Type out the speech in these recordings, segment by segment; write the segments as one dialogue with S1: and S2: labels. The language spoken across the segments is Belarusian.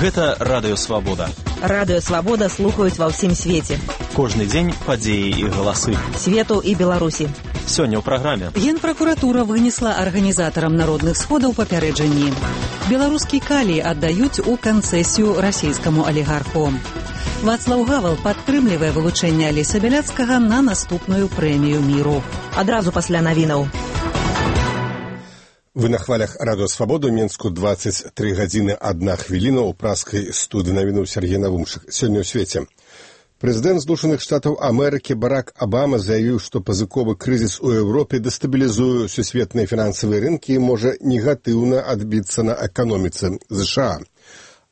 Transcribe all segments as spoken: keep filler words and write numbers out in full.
S1: Гэта Радыё Свабода.
S2: Радыё Свабода слухаюць ва ўсім свеце.
S1: Кожны дзень падзеі і галасы.
S2: Свету і Беларусі.
S1: Сёння ў праграме.
S3: Генпракуратура вынесла арганізатарам народных сходаў папярэджанні. Беларускі калій аддаюць у канцэсію расійскаму алігарху. Вацлаў Гавал падтрымлівае вылучэнне Алеся Бяляцкага на наступную прэмію міру.
S2: Адразу пасля навінаў.
S4: Вы на хвалях Радыё Свабода, Мінску двадцать три гадзіны одна хвіліна, у праскай студыі навінуў Сергей Навумшык. Сёння ў свеце. Прэзідэнт Злучаных Штатаў Амерыкі Барак Абама заявіў, што пазыковы крызіс у Еўропе дэстабілізуе сусветныя фінансавыя рынкі і можа негатыўна адбіцца на эканоміцы ЗША.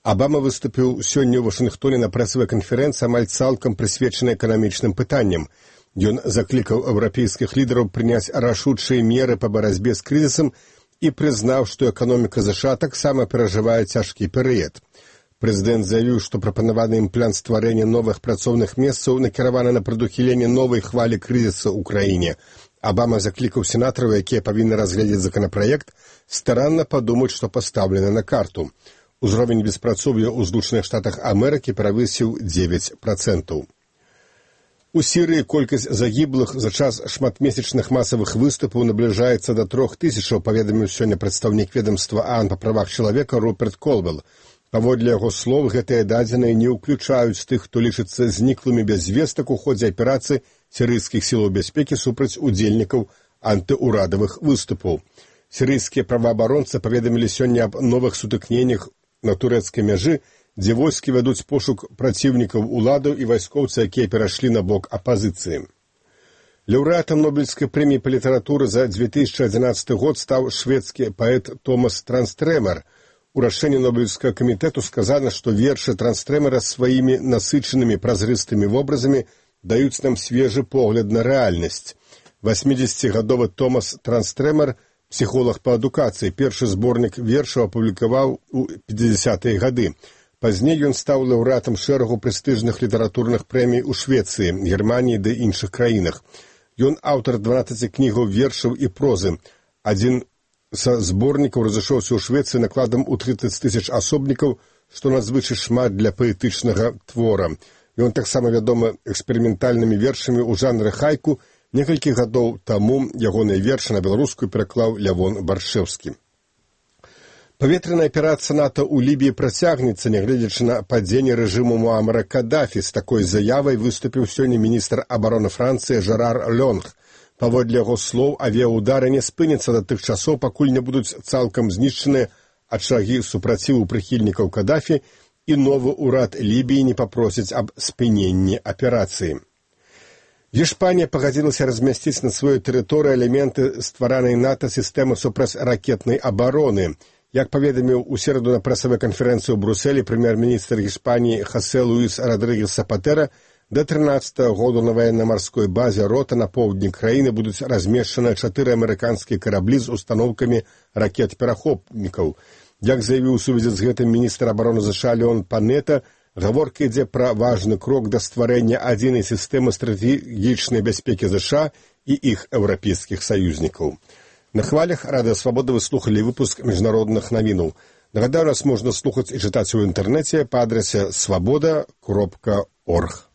S4: Абама выступіў сёння ў Вашынгтоне на прэсавай канферэнцыі, амаль цалкам прысвечанай эканамічным пытанням. Ён заклікаў еўрапейскіх лідараў прыняць рашучыя меры па барацьбе з крызісам і прызнаў, што эканоміка ЗША таксама перажывае цяжкі перыяд. Прэзідэнт заявіў, што прапанаваны ім план стварэння новых працоўных месцаў накіраваны на прадухіленне новай хвалі крызіса ў краіне. Абама заклікаў сенатараў, якія павінны разгледзець законапраект, старанна падумаць, што пастаўлена на карту. Узровень беспрацоўя ў Злучаных Штатах Амерыкі перавысіў дзевяць працэнтаў. У Сірыі колькасць загіблых за час шматмесячных масавых выступаў набліжаецца да трох тысячаў, паведаміў сёння прадстаўнік ведамства ААН па правах чалавека Руперт Колвелл. Паводле яго слоў, гэтыя дадзеныя не ўключаюць тых, хто лічыцца зніклымі без звестак у ходзе аперацыі сірыйскіх сілаў бяспекі супраць удзельнікаў антыурадавых выступаў. Сірыйскія праваабаронцы паведамілі сёння аб новых сутыкненнях на турэцкай мяжы, дзе войскі вядуць пошук праціўнікаў уладаў і вайскоўцы, якія перайшлі на бок апазіцыі. Лаўрэатам Нобелевскай прэміі па літаратуры за две тысячи одиннадцатый год стаў шведскі паэт Томас Транстрэмер. У рашэнні Нобелевскага камітэту сказана, што вершы Транстрэмера сваімі насычанымі празрыстымі вобразамі даюць нам свежы погляд на рэальнасць. восьмидесятигадовы Томас Транстрэмер, псіхолог па адукацыі, першы зборнік вершаў апублікаваў у пятидесятыя гады. Пазней ён стаў лаўрэатам шэрагу прэстыжных літаратурных прэмій у Швецыі, Германіі ды іншых краінах. Ён аўтар дванаццаці кнігаў вершаў і прозы. Адзін са зборнікаў разышоўся ў Швецыі накладам у тридцать тысяч асобнікаў, што надзвычай шмат для паэтычнага твора. Ён таксама вядомы эксперыментальнымі вершамі ў жанры хайку. Некалькі гадоў таму ягоныя вершы на беларускую пераклаў Лявон Баршэўскі. Паветраная аперацыя НАТО ў Лібіі працягнецца, нягледзячы на падзенне рэжыму Муамара Кадафі. З такой заявай выступіў сёння міністр абароны Францыі Жерар Лёнг. Паводле яго слоў, авіаудары не спыняцца да тых часоў, пакуль не будуць цалкам знішчаныя ачагі супраціву прыхільнікаў Кадафі, і новы ўрад Лібіі не папросіць аб спыненні аперацыі. Іспанія пагадзілася размясціць на сваёй тэрыторыі элементы стваранай НАТО сістэмы супрацьракетнай абароны. Як паведаміў у сераду на прэсавай канферэнцыі ў Брусэлі прэм'ер-міністр Іспаніі Хосе Луіс Родригес Сапатэра, да трынаццатага году на ваенна-марской базе Рота на поўдні краіны будуць размешчаны чатыры амерыканскія караблі з установкамі ракет-перахопнікаў. Як заявіў у сувязі з гэтым міністр абароны ЗША Леон Панета, гаворка ідзе пра важны крок да стварэння адзінай сістэмы стратэгічнай бяспекі ЗША і іх еўрапейскіх саюзнікаў. На хвалях Радыё Свабода вы слухалі выпуск міжнародных навінаў. Нагадаю, нас можна слухаць і чытаць у інтэрнэце па адрасе свабода кропка орг.